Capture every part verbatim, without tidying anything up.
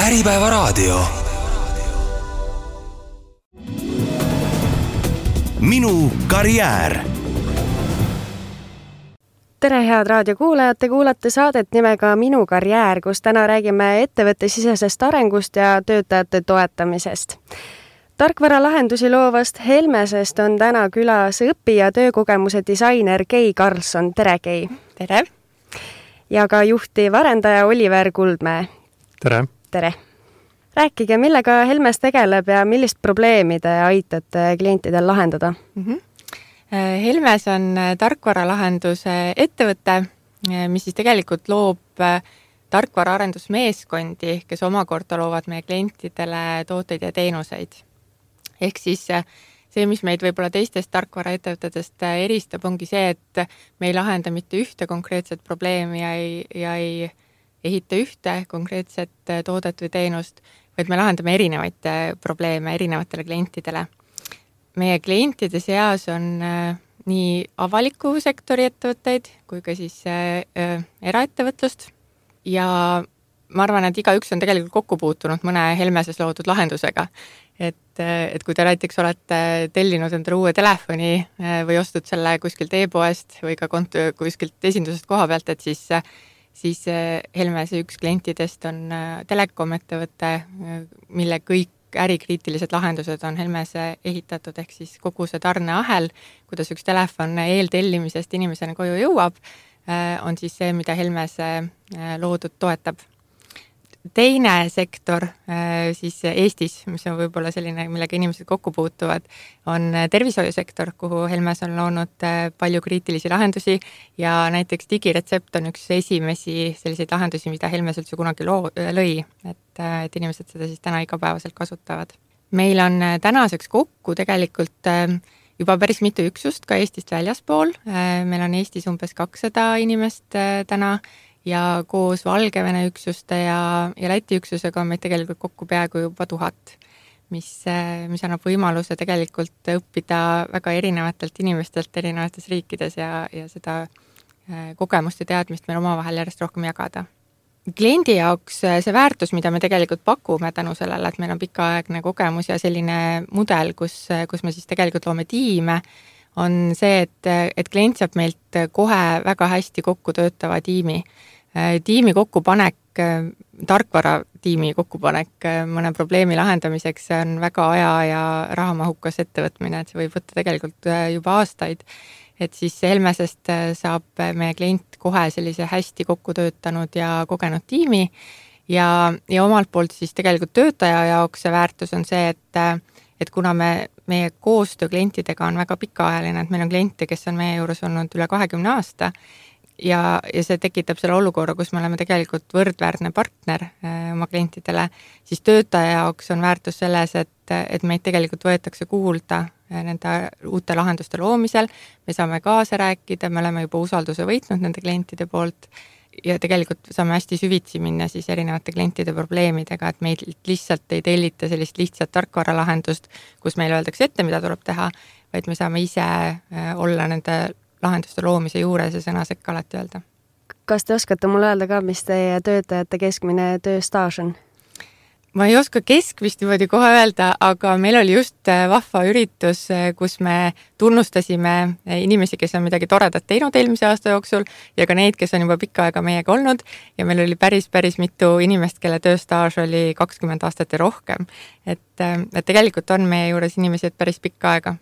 Äripäevaraadio. Minu karjäär. Tere head raadiokuulajad, te kuulate saadet nimega Minu karjäär, kus täna räägime ettevõtte sisesest arengust ja töötajate toetamisest. Tarkvaralahendusi loovast Helmesest on täna külas õpi- ja töökogemuse disainer Kei Karlsson. Tere, Kei! Tere! Ja ka juhtiv arendaja Oliver Kuldmäe. Tere! Tere! Rääkige, millega Helmes tegeleb ja millist probleemi te aitate klientidel lahendada? Mm-hmm. Helmes on tarkvaralahenduse ettevõte, mis siis tegelikult loob tarkvaraarendusmeeskondi, kes omakorda loovad meie klientidele tooteid ja teenuseid. Ehk siis see, mis meid võib-olla teistest tarkvaraettevõtetest eristab, ongi see, et me ei lahenda mitte ühte konkreetset probleemi ja ei, ja ei ehita ühte konkreetset toodet või teenust, vaid me lahendame erinevaid probleeme erinevatele klientidele. Meie klientide seas on nii avaliku sektori ettevõtteid kui ka siis eraettevõtlust ja ma arvan, et igaüks on tegelikult kokku puutunud mõne Helmeses loodud lahendusega. Et, et kui te näiteks olete tellinud endale uue telefoni või ostud selle kuskilt e-poest või ka kont- kuskilt esindusest koha pealt, et siis, siis Helmese üks klientidest on telekom ettevõte, mille kõik ärikriitilised lahendused on Helmese ehitatud, ehk siis kogu see tarneahel, kuidas üks telefon eeltellimisest inimesena koju jõuab, on siis see, mida Helmese loodud toetab. Teine sektor siis Eestis, mis on võib-olla selline, millega inimesed kokku puutuvad, on tervishoiusektor, kuhu Helmes on loonud palju kriitilisi lahendusi ja näiteks digiretsept on üks esimesi selliseid lahendusi, mida Helmes üldse kunagi loo, lõi, et, et inimesed seda siis täna igapäevaselt kasutavad. Meil on tänaseks kokku tegelikult juba päris mitu üksust ka Eestist väljaspool. Meil on Eestis umbes kakssada inimest täna ja koos Valgevene üksuste ja, ja Läti üksusega on meid tegelikult kokku peaaegu juba tuhat, mis, mis annab võimaluse tegelikult õppida väga erinevatelt inimestelt erinevates riikides ja, ja seda kogemust ja teadmist meil omavahel järjest rohkem jagada. Kliendi jaoks see väärtus, mida me tegelikult pakume tänu sellele, et meil on pikaaegne kogemus ja selline mudel, kus, kus me siis tegelikult loome tiime, on see, et, et klient saab meilt kohe väga hästi kokku töötava tiimi. Tiimi kokkupanek, tarkvara tiimi kokkupanek mõne probleemi lahendamiseks on väga aja- ja rahamahukas ettevõtmine, et see võib võtta tegelikult juba aastaid. Et siis Helmesest saab meie klient kohe sellise hästi kokku töötanud ja kogenud tiimi ja, ja omalt poolt siis tegelikult töötaja jaoks see väärtus on see, et, et kuna me, meie koostöö klientidega on väga pikaajaline, et meil on kliente, kes on meie juures olnud üle kahekümne aasta, Ja, ja see tekitab selle olukorra, kus me oleme tegelikult võrdväärne partner äh, oma klientidele, siis töötaja jaoks on väärtus selles, et, et meid tegelikult võetakse kuulda äh, nende uute lahenduste loomisel, me saame kaasa rääkida, me oleme juba usalduse võitnud nende klientide poolt ja tegelikult saame hästi süvitsi minna siis erinevate klientide probleemidega, et meid lihtsalt ei tellita sellist lihtsat tarkvaralahendust, kus meil öeldakse ette, mida tuleb teha, vaid me saame ise äh, olla nende lahenduste loomise juures ja sõna sekka alati öelda. Kas te oskate mulle öelda ka, mis teie töötajate keskmine tööstaaž on? Ma ei oska keskmist niimoodi kohe öelda, aga meil oli just vahva üritus, kus me tunnustasime inimesi, kes on midagi toredat teinud eelmise aasta jooksul ja ka neid, kes on juba pikka aega meiega olnud ja meil oli päris, päris mitu inimest, kelle tööstaaž oli kakskümmend aastat ja rohkem. Et, et tegelikult on meie juures inimesed päris pikka aega.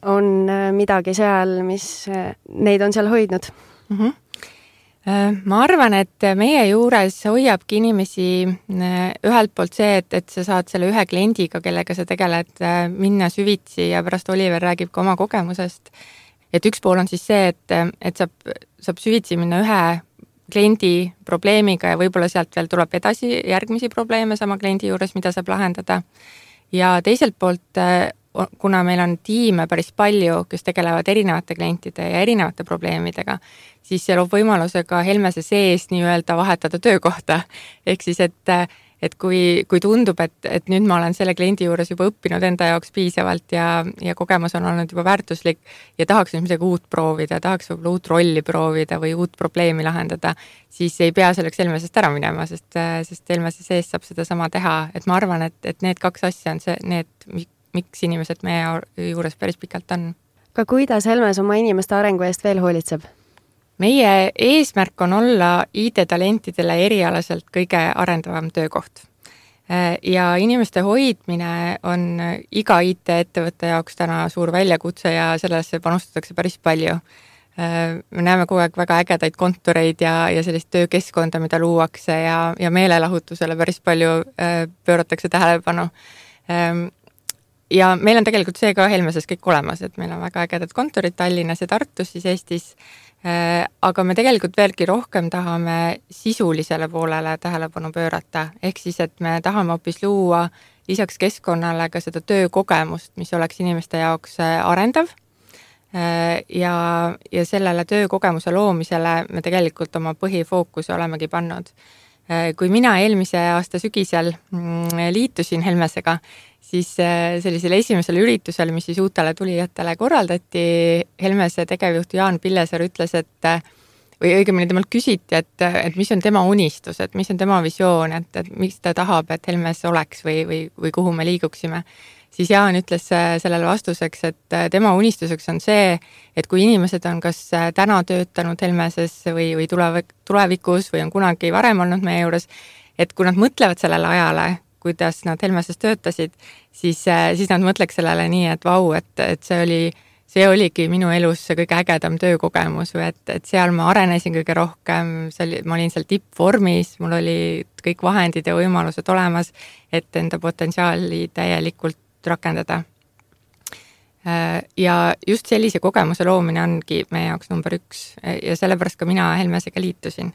On midagi seal, mis neid on seal hoidnud? Mm-hmm. Ma arvan, et meie juures hoiabki inimesi ühelt poolt see, et, et sa saad selle ühe kliendiga, kellega sa tegeled, minna süvitsi ja pärast Oliver räägib ka oma kogemusest. Et üks pool on siis see, et, et saab, saab süvitsi minna ühe kliendi probleemiga ja võib-olla sealt veel tuleb edasi järgmisi probleeme sama kliendi juures, mida saab lahendada. Ja teiselt poolt kuna meil on tiime päris palju, kes tegelevad erinevate klientide ja erinevate probleemidega, siis see loob võimaluse ka Helmese sees nii öelda vahetada töökohta. Ehk siis, et, et kui, kui tundub, et, et nüüd ma olen selle kliendi juures juba õppinud enda jaoks piisavalt ja, ja kogemus on olnud juba väärtuslik ja tahaks nüüd midagi uut proovida, tahaks võib-olla uut rolli proovida või uut probleemi lahendada, siis ei pea selleks Helmesest ära minema, sest, sest Helmese sees saab seda sama teha. Et ma arvan, et, et need kaks asja on see, need, miks inimesed meie juures päris pikalt on. Ka kuidas Helmes oma inimeste arengu eest veel hoolitseb? Meie eesmärk on olla I T-talentidele erialaselt kõige arendavam töökoht. Ja inimeste hoidmine on iga I T-ettevõtte jaoks täna suur väljakutse ja sellesse panustatakse päris palju. Me näeme kogu aeg väga ägedaid kontoreid ja, ja sellist töökeskkonda, mida luuakse ja, ja meelelahutusele päris palju pööratakse tähelepanu. Ja meil on tegelikult see ka Helmeses kõik olemas, et meil on väga ägedad kontorid Tallinnas ja Tartus siis Eestis, aga me tegelikult veelgi rohkem tahame sisulisele poolele tähelepanu pöörata, ehk siis, et me tahame hoopis luua lisaks keskkonnale ka seda töökogemust, mis oleks inimeste jaoks arendav ja, ja sellele töökogemuse loomisele me tegelikult oma põhifookuse olemegi pannud. Kui mina eelmise aasta sügisel liitusin Helmesega, siis sellisel esimesel üritusel, mis siis uutele tulijatele korraldati, Helmese tegevjuht Jaan Pillesaar ütles, et või õigemini temalt küsiti, et, et mis on tema unistus, et mis on tema visioon, et, et miks ta tahab, et Helmes oleks või, või, või kuhu me liiguksime. Siis Jaan ütles sellele vastuseks, et tema unistuseks on see, et kui inimesed on kas täna töötanud Helmeses või, või tulevikus või on kunagi varem olnud meie juures, et kui nad mõtlevad sellele ajale, kuidas nad Helmeses töötasid, siis, siis nad mõtleks sellele nii, et vau, et, et see oli, see oligi minu elus see kõige ägedam töökogemus või et, et seal ma arenesin kõige rohkem, see oli, ma olin seal tippvormis, mul oli kõik vahendid ja võimalused olemas, et enda potentsiaali täielikult rakendada. Ja just sellise kogemuse loomine ongi meie jaoks number üks ja sellepärast ka mina Helmesega liitusin.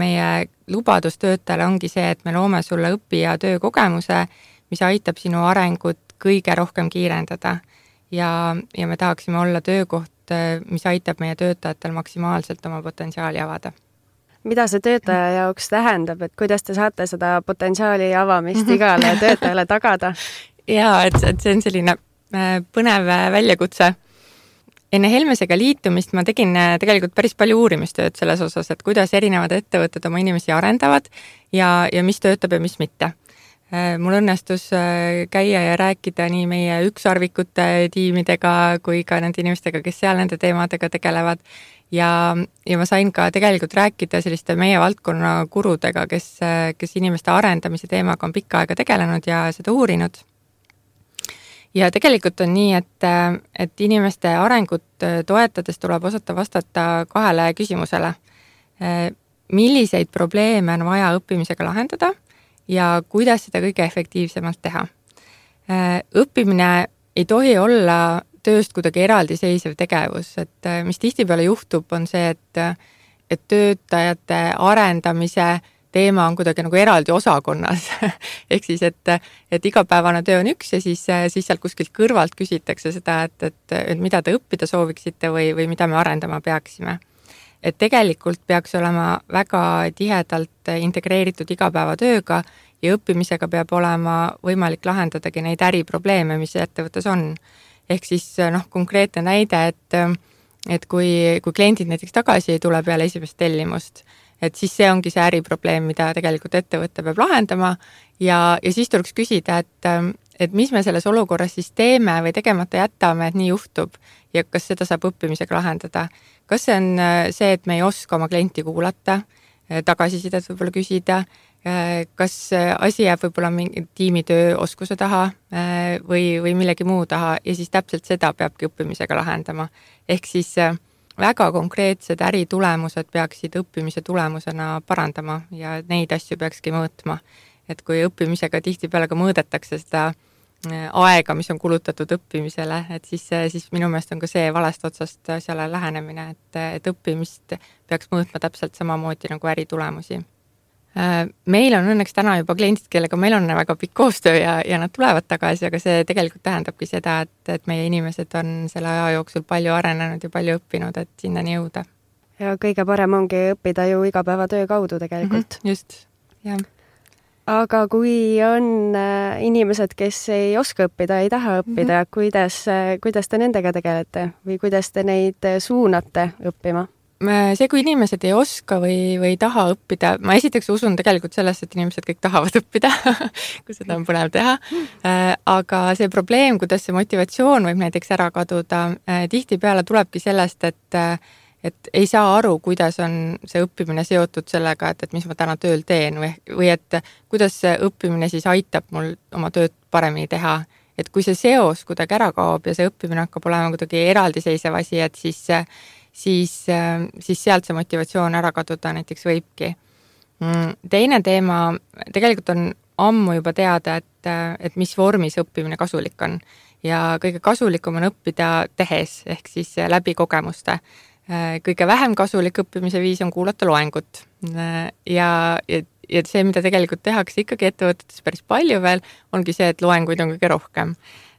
Meie lubadus töötajale ongi see, et me loome sulle õpi- ja töökogemuse, mis aitab sinu arengut kõige rohkem kiirendada ja, ja me tahaksime olla töökoht, mis aitab meie töötajatel maksimaalselt oma potentsiaali avada. Mida see töötaja jaoks tähendab, et kuidas te saate seda potentsiaali avamist igale töötajale tagada? Jaa, et, et see on selline põnev väljakutse. Enne Helmesega liitumist ma tegin tegelikult päris palju uurimistööd selles osas, et kuidas erinevad ettevõtted oma inimesi arendavad ja, ja mis töötab ja mis mitte. Mul õnnestus käia ja rääkida nii meie ükssarvikute tiimidega kui ka nende inimestega, kes seal nende teemadega tegelevad ja, ja ma sain ka tegelikult rääkida selliste meie valdkonna gurudega, kes, kes inimeste arendamise teemaga on pikka aega tegelenud ja seda uurinud. Ja tegelikult on nii, et, et inimeste arengut toetades tuleb osata vastata kahele küsimusele. Milliseid probleeme on vaja õppimisega lahendada ja kuidas seda kõige efektiivsemalt teha. Õppimine ei tohi olla tööst kuidagi eraldiseisev tegevus, et mis tihtipeale juhtub, on see, et, et töötajate arendamise teema on kuidagi nagu eraldi osakonnas. Ehk siis, et, et igapäevane töö on üks ja siis, siis sealt kuskilt kõrvalt küsitakse seda, et, et, et mida te õppida sooviksite või, või mida me arendama peaksime. Et tegelikult peaks olema väga tihedalt integreeritud igapäevatööga ja õppimisega peab olema võimalik lahendadagi neid äriprobleeme, mis ettevõttes on. Ehk siis noh, konkreetne näide, et, et kui, kui kliendid näiteks tagasi ei tule peale esimest tellimust, et siis see ongi see äriprobleem, mida tegelikult ettevõtte peab lahendama ja, ja siis tuleks küsida, et, et mis me selles olukorras siis teeme või tegemata jätame, et nii juhtub ja kas seda saab õppimisega lahendada. Kas see on see, et me ei oska oma klienti kuulata, tagasisidet võib-olla küsida, kas asi jääb võib-olla mingi tiimitöö oskuse taha või, või millegi muu taha ja siis täpselt seda peabki õppimisega lahendama. Ehk siis väga konkreetsed äritulemused peaksid õppimise tulemusena parandama ja neid asju peakski mõõtma. Et kui õppimisega tihtipeale ka mõõdetakse seda aega, mis on kulutatud õppimisele, et siis, siis minu meelest on ka see valest otsast asjale lähenemine, et, et õppimist peaks mõõtma täpselt samamoodi nagu äritulemusi. Meil on õnneks täna juba kliendid, kellega meil on väga pikk koostöö ja, ja nad tulevad tagasi, aga see tegelikult tähendabki seda, et, et meie inimesed on selle aja jooksul palju arenenud ja palju õppinud, et sinnani jõuda. Ja kõige parem ongi õppida ju igapäevatöö kaudu tegelikult. Mm-hmm, just, jah. aga kui on inimesed, kes ei oska õppida, ei taha õppida, mm-hmm. kuidas, kuidas te nendega tegelete või kuidas te neid suunate õppima? See, kui inimesed ei oska või, või ei taha õppida, ma esiteks usun tegelikult sellesse, et inimesed kõik tahavad õppida, kui seda on põnev teha. Aga see probleem, kuidas see motivatsioon võib näiteks ära kaduda, tihtipeale tulebki sellest, et et ei saa aru, kuidas on see õppimine seotud sellega, et, et mis ma täna tööl teen või, või et kuidas see õppimine siis aitab mul oma tööd paremini teha. Et kui see seos kuidagi ära kaob ja see õppimine hakkab olema kuidagi eraldiseisev asi, et siis, siis, siis sealt see motivatsioon ära kaduda näiteks võibki. Teine teema, tegelikult on ammu juba teada, et, et mis vormis õppimine kasulik on. Ja kõige kasulikum on õppida tehes, ehk siis läbi kogemuste. Kõige vähem kasulik õppimise viis on kuulata loengut ja, ja, ja see, mida tegelikult tehakse ikkagi ettevõtetes päris palju veel, ongi see, et loenguid on kõige rohkem.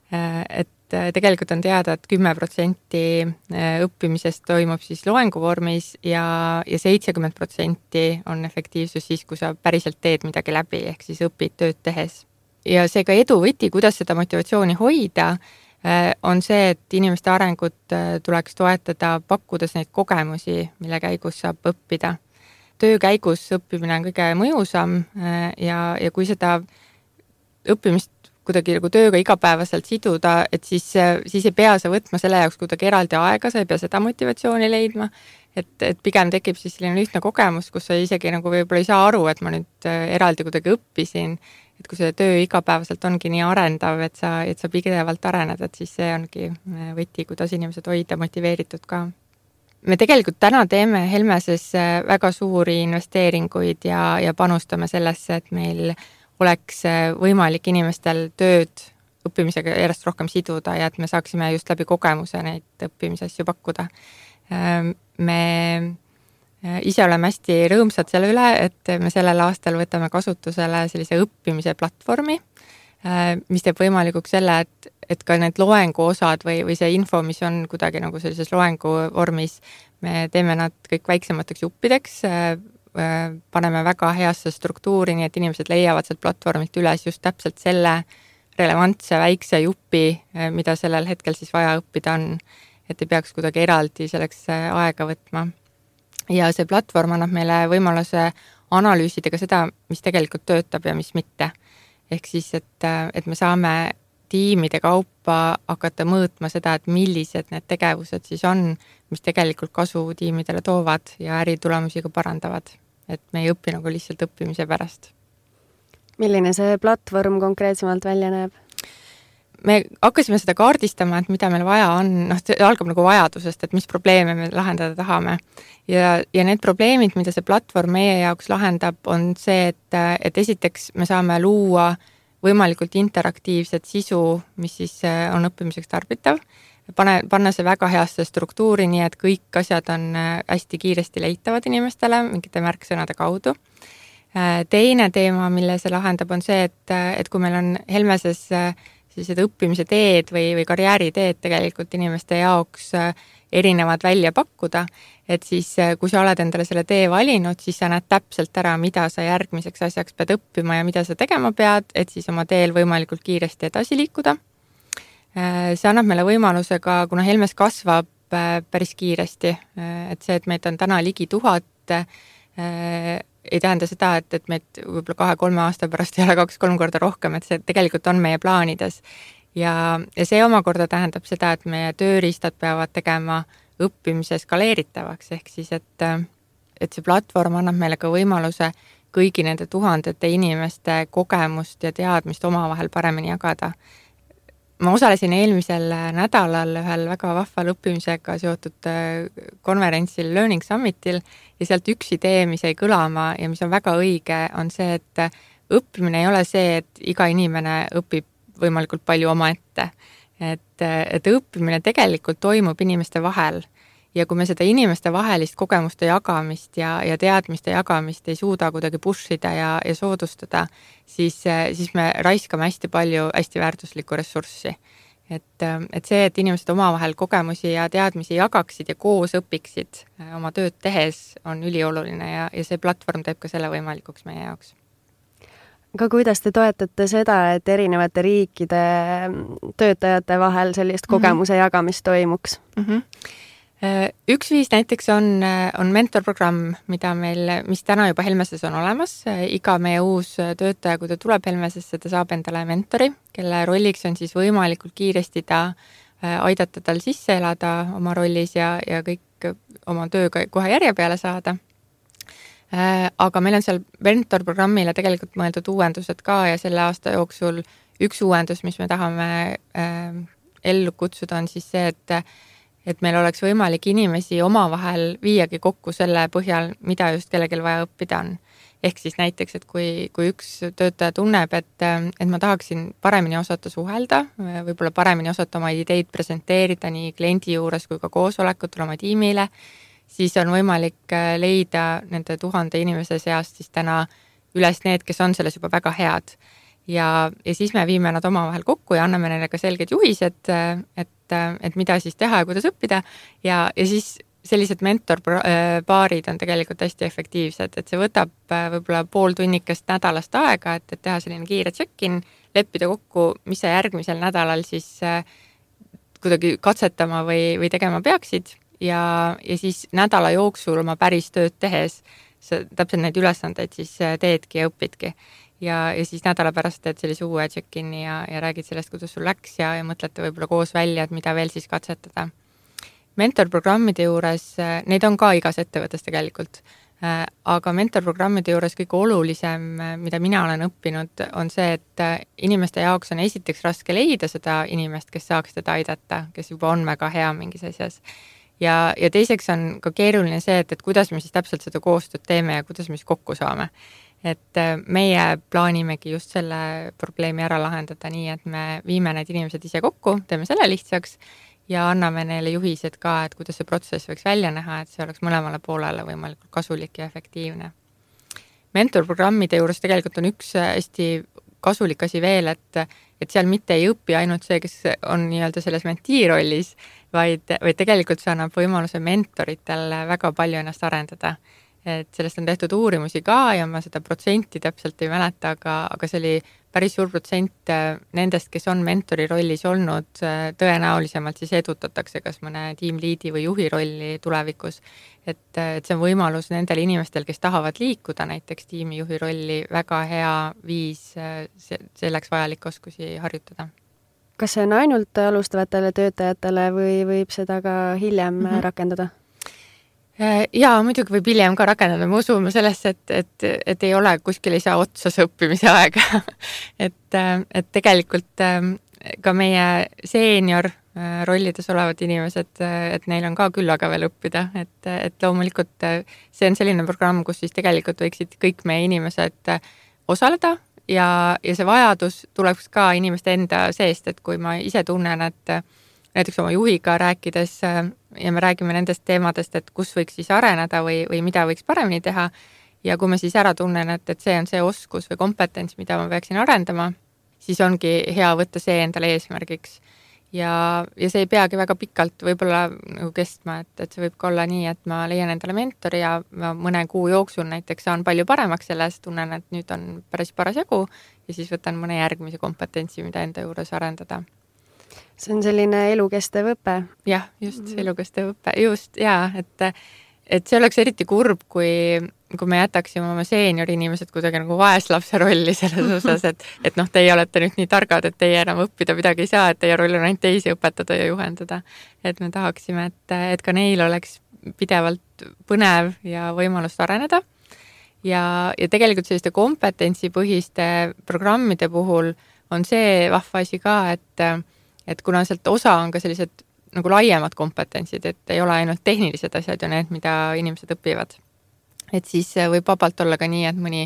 Et tegelikult on teada, et kümme protsenti õppimisest toimub siis loengu vormis ja, ja seitsekümmend protsenti on efektiivsus siis, kui sa päriselt teed midagi läbi, ehk siis õpid tööd tehes. Ja see ka edu võti, kuidas seda motivatsiooni hoida, on see, et inimeste arengut tuleks toetada, pakkudes neid kogemusi, mille käigus saab õppida. Töö käigus õppimine on kõige mõjusam ja, ja kui seda õppimist kuidagi nagu tööga igapäevaselt siduda, et siis, siis ei pea sa võtma selle jaoks kuidagi eraldi aega, sa ei pea seda motivatsiooni leidma, et, et pigem tekib siis selline ühtne kogemus, kus sa isegi nagu võib-olla ei saa aru, et ma nüüd eraldi kuidagi õppisin, et kui see töö igapäevaselt ongi nii arendav, et sa, et sa pidevalt arened, et siis see ongi võti, kuidas inimesed hoida motiveeritud ka. Me tegelikult täna teeme Helmeses väga suuri investeeringuid ja, ja panustame sellesse, et meil oleks võimalik inimestel tööd õppimisega järjest rohkem siduda ja et me saaksime just läbi kogemuse neid õppimisasju pakkuda. Me ise oleme hästi rõõmsad selle üle, et me sellel aastal võtame kasutusele sellise õppimise platvormi, mis teeb võimalikuks selle, et, et ka need loengu osad või, või see info, mis on kuidagi nagu sellises loengu vormis, me teeme nad kõik väiksemateks juppideks, paneme väga heasse struktuuri, nii et inimesed leiavad sealt platvormilt üles just täpselt selle relevantse väikse jupi, mida sellel hetkel siis vaja õppida on, et ei peaks kuidagi eraldi selleks aega võtma. Ja see platvorm annab meile võimaluse analüüsida ka seda, mis tegelikult töötab ja mis mitte. Ehk siis, et, et me saame tiimide kaupa hakata mõõtma seda, et millised need tegevused siis on, mis tegelikult kasu tiimidele toovad ja äritulemusi ka parandavad. Et me ei õpi nagu lihtsalt õppimise pärast. Milline see platvorm konkreetsemalt välja näeb? Me hakkasime seda kaardistama, et mida meil vaja on, noh, see algab nagu vajadusest, et mis probleeme me lahendada tahame. Ja, ja need probleemid, mida see platvorm meie jaoks lahendab, on see, et, et esiteks me saame luua võimalikult interaktiivset sisu, mis siis on õppimiseks tarbitav, pane, panna see väga heasse struktuuri, nii et kõik asjad on hästi kiiresti leitavad inimestele mingite märksõnade kaudu. Teine teema, mille see lahendab, on see, et, et kui meil on Helmeses sellised õppimise teed või, või karjääriteed tegelikult inimeste jaoks erinevad välja pakkuda, et siis kui sa oled endale selle tee valinud, siis sa näed täpselt ära, mida sa järgmiseks asjaks pead õppima ja mida sa tegema pead, et siis oma teel võimalikult kiiresti edasi liikuda. See annab meile võimaluse ka, kuna Helmes kasvab päris kiiresti, et see, et meid on täna ligi tuhat, ei tähenda seda, et, et meid võib-olla kahe-kolme aasta pärast ei ole kaks-kolm korda rohkem, et see tegelikult on meie plaanides. Ja, ja see omakorda tähendab seda, et meie tööriistad peavad tegema õppimise skaleeritavaks, ehk siis, et, et see platvorm annab meile ka võimaluse kõigi nende tuhandete inimeste kogemust ja teadmist omavahel paremini jagada. Ma osalesin eelmisel nädalal ühel väga vahval õppimisega seotud konverentsil Learning Summitil ja sealt üks idee, mis jäi kõlama ja mis on väga õige, on see, et õppimine ei ole see, et iga inimene õpib võimalikult palju omaette. Et, et õppimine tegelikult toimub inimeste vahel ja kui me seda inimeste vahelist kogemuste jagamist ja, ja teadmiste jagamist ei suuda kuidagi pushida ja, ja soodustada, siis, siis me raiskame hästi palju hästi väärtuslikku ressurssi. Et, et see, et inimesed omavahel kogemusi ja teadmisi jagaksid ja koos õpiksid oma tööd tehes, on ülioluline ja, ja see platvorm teeb ka selle võimalikuks meie jaoks. aga kuidas te toetate seda, et erinevate riikide töötajate vahel sellist kogemuse mm -hmm. jagamist toimuks? Mm -hmm. Üks viis näiteks on, on mentorprogramm, mida meil, mis täna juba Helmeses on olemas. Iga meie uus töötaja, kui ta tuleb Helmesesse, ta saab endale mentori, kelle rolliks on siis võimalikult kiiresti ta aidata tal sisse elada oma rollis ja, ja kõik oma tööga kohe järje peale saada. Aga meil on seal mentorprogrammile tegelikult mõeldud uuendused ka ja selle aasta jooksul üks uuendus, mis me tahame äh, ellu kutsuda, on siis see, et et meil oleks võimalik inimesi omavahel viiagi kokku selle põhjal, mida just kellelgi vaja õppida on. Ehk siis näiteks, et kui, kui üks töötaja tunneb, et, et ma tahaksin paremini osata suhelda, võib-olla paremini osata oma ideid presenteerida nii kliendi juures kui ka koosolekutel oma tiimile, siis on võimalik leida nende tuhande inimese seast siis täna üles need, kes on selles juba väga head. Ja, ja siis me viime nad omavahel kokku ja anname neile ka selged juhised, et, et mida siis teha ja kuidas õppida. Ja, ja siis sellised mentorpaarid on tegelikult hästi efektiivsed, et see võtab võib-olla pool tunnikest nädalast aega, et, et teha selline kiire check-in, leppida kokku, mis sa järgmisel nädalal siis kuidagi katsetama või, või tegema peaksid. Ja, ja siis nädala jooksul oma päris tööd tehes sa täpselt neid ülesandeid siis teedki ja õpidki. Ja, ja siis nädala pärast teed sellise uue check-in'i ja, ja räägid sellest, kuidas sul läks ja, ja mõtlete võib-olla koos välja, et mida veel siis katsetada. Mentorprogrammide juures, neid on ka igas ettevõttes tegelikult, aga mentorprogrammide juures kõige olulisem, mida mina olen õppinud, on see, et inimeste jaoks on esiteks raske leida seda inimest, kes saaks teda aidata, kes juba on väga hea mingis asjas. Ja, ja teiseks on ka keeruline see, et, et kuidas me siis täpselt seda koostööd teeme ja kuidas me siis kokku saame. Et meie plaanimegi just selle probleemi ära lahendada nii, et me viime need inimesed ise kokku, teeme selle lihtsaks ja anname neile juhised ka, et kuidas see protsess võiks välja näha, et see oleks mõlemale poolele võimalikult kasulik ja efektiivne. Mentorprogrammide juures tegelikult on üks hästi kasulik asi veel, et, et seal mitte ei õpi ainult see, kes on nii-öelda selles mentii rollis, vaid, vaid tegelikult see annab võimaluse mentoritel väga palju ennast arendada. Et sellest on tehtud uurimusi ka ja ma seda protsenti täpselt ei mäleta, aga, aga see oli päris suur protsent nendest, kes on mentori rollis olnud, tõenäolisemalt siis edutatakse kas mõne tiimliidi või juhi rolli tulevikus. Et, et see on võimalus nendel inimestel, kes tahavad liikuda näiteks tiimijuhi rolli, väga hea viis selleks vajalik oskusi harjutada. Kas see on ainult alustavatele töötajatele või võib seda ka hiljem mm-hmm. rakendada? Jaa, muidugi võib hiljem ka rakendada, me usume sellesse, et, et, et ei ole kuskil ei saa otsas õppimise aega. et, et tegelikult ka meie seenior rollides olevad inimesed, et neil on ka küll aga veel õppida, et, et loomulikult see on selline programm, kus siis tegelikult võiksid kõik meie inimesed osaleda ja, ja see vajadus tuleks ka inimeste enda seest, et kui ma ise tunnen, et näiteks oma juhiga rääkides ja me räägime nendest teemadest, et kus võiks siis areneda või, või mida võiks paremini teha. Ja kui ma siis ära tunnen, et, et see on see oskus või kompetents, mida ma peaksin arendama, siis ongi hea võtta see endale eesmärgiks. Ja, ja see ei peagi väga pikalt võib-olla nagu kestma, et, et see võib ka olla nii, et ma leian endale mentori ja ma mõne kuu jooksul näiteks saan palju paremaks selles, tunnen, et nüüd on päris paras jagu ja siis võtan mõne järgmise kompetentsi, mida enda juures arendada. See on selline elukestev õpe. Jah, just mm. elukestev õpe, just, jaa, et, et see oleks eriti kurb, kui, kui me jätaksime oma seeniori inimesed kuidagi nagu vaeslapse rolli selles osas, et, et noh, teie olete nüüd nii targad, et teie enam õppida midagi ei saa, et teie roll on ainult teisi õpetada ja juhendada. Et me tahaksime, et, et ka neil oleks pidevalt põnev ja võimalust areneda. Ja, ja tegelikult selliste kompetentsipõhiste programmide puhul on see vahva asi ka, et et kuna sealt osa on ka sellised nagu laiemad kompetentsid, et ei ole ainult tehnilised asjad ja need, mida inimesed õpivad. Et siis võib vabalt olla ka nii, et mõni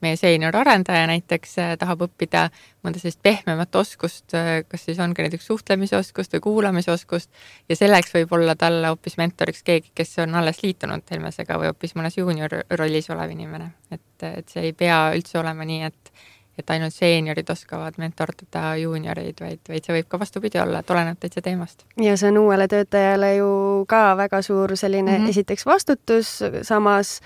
meie seenior arendaja näiteks tahab õppida mõnda sellist pehmemat oskust, kas siis on ka näiteks suhtlemisoskust või kuulamisoskust ja selleks võib olla talle hoopis mentoriks keegi, kes on alles liitunud Helmesega või hoopis mõnes junior rollis olev inimene. Et, et see ei pea üldse olema nii, et et ainult seeniorid oskavad mentordada juunioreid, vaid, vaid see võib ka vastupidi olla, et oleneb täitsa teemast. Ja see on uuele töötajale ju ka väga suur selline mm-hmm. esiteks vastutus, samas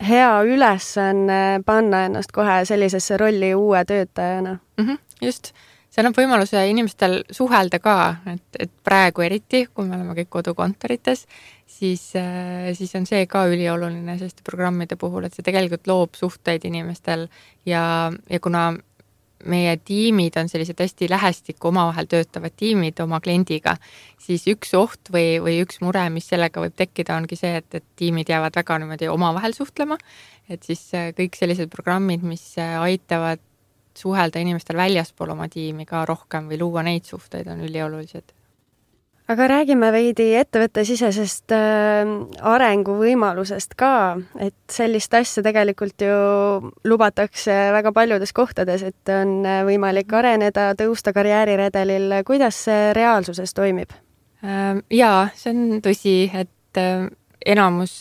hea ülesanne panna ennast kohe sellisesse rolli uue töötajana. Mm-hmm, just, see annab võimaluse inimestel suhelda ka, et, et praegu eriti, kui me oleme kõik kodukontorites, siis, siis on see ka ülioluline selliste programmide puhul, et see tegelikult loob suhteid inimestel ja, ja kuna meie tiimid on sellised hästi lähestikku omavahel töötavad tiimid oma kliendiga, siis üks oht või, või üks mure, mis sellega võib tekkida, ongi see, et, et tiimid jäävad väga niimoodi omavahel suhtlema, et siis kõik sellised programmid, mis aitavad suhelda inimestel väljaspool oma tiimi ka rohkem või luua neid suhteid, on üliolulised. Aga räägime veidi ettevõttesisesest äh, arenguvõimalusest ka, et sellist asja tegelikult ju lubatakse väga paljudes kohtades, et on võimalik areneda, tõusta karjääriredelil. Kuidas see reaalsuses toimib? Jaa, see on tõsi, et enamus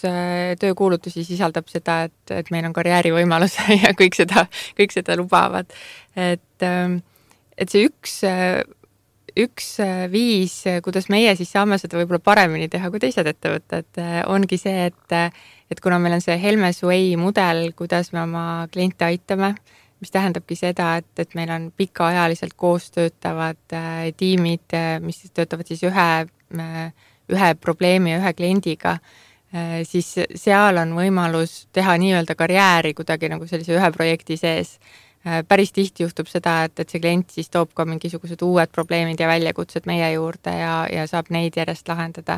töökuulutusi sisaldab seda, et, et meil on karjäärivõimalus ja kõik seda, kõik seda lubavad. Et, et see üks Üks viis, kuidas meie siis saame seda võib-olla paremini teha kui teised ettevõtted, ongi see, et, et kuna meil on see Helmes Way mudel, kuidas me oma kliente aitame, mis tähendabki seda, et, et meil on pikaajaliselt koos töötavad tiimid, mis töötavad siis ühe, ühe probleemi ja ühe kliendiga, siis seal on võimalus teha nii-öelda karjääri kuidagi nagu sellise ühe projekti sees. Päris tihti juhtub seda, et, et see klient siis toob ka mingisugused uued probleemid ja väljakutsed meie juurde ja, ja saab neid järjest lahendada.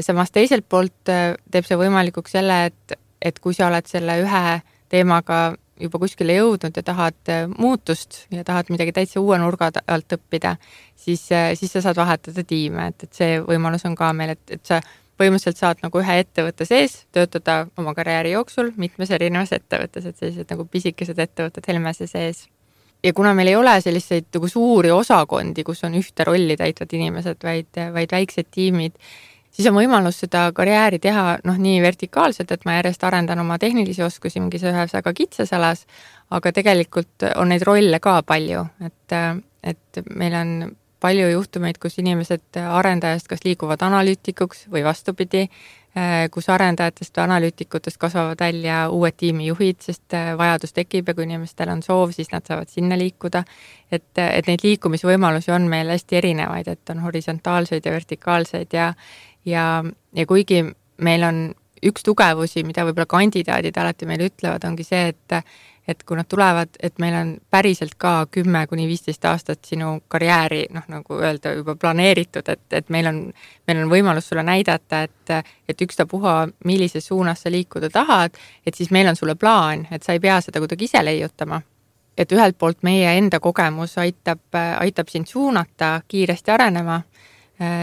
Samas teiselt poolt teeb see võimalikuks selle, et, et kui sa oled selle ühe teemaga juba kuskile jõudnud ja tahad muutust ja tahad midagi täitsa uue nurga alt õppida, siis, siis sa saad vahetada tiime, et, et see võimalus on ka meil, et, et sa põhimõtteliselt saad nagu ühe ettevõtte sees töötada oma karjääri jooksul mitmes erinevas ettevõttes, et sellised nagu pisikesed ettevõtted Helmese sees. Ja kuna meil ei ole selliseid nagu suuri osakondi, kus on ühte rolli täitvad inimesed, vaid, vaid väiksed tiimid, siis on võimalus seda karjääri teha noh, nii vertikaalselt, et ma järjest arendan oma tehnilisi oskusi mingis ühes väga kitsas alas, aga tegelikult on neid rolle ka palju, et, et meil on palju juhtumeid, kus inimesed arendajast kas liiguvad analüütikuks või vastupidi, kus arendajatest või analüütikutest kasvavad välja uued tiimijuhid, sest vajadus tekib ja kui inimestel on soov, siis nad saavad sinna liikuda. Et, et neid liikumisvõimalusi on meil hästi erinevaid, et on horisontaalseid ja vertikaalseid ja, ja, ja kuigi meil on üks tugevusi, mida võib-olla kandidaadid alati meile ütlevad, ongi see, et et kui nad tulevad, et meil on päriselt ka kümme kuni viisteist aastat sinu karjääri, noh, nagu öelda, juba planeeritud, et, et meil on, meil on võimalus sulle näidata, et, et ükstapuha, millises suunas sa liikuda tahad, et siis meil on sulle plaan, et sa ei pea seda kuidagi ise leiutama. Et ühelt poolt meie enda kogemus aitab, aitab sind suunata kiiresti arenema,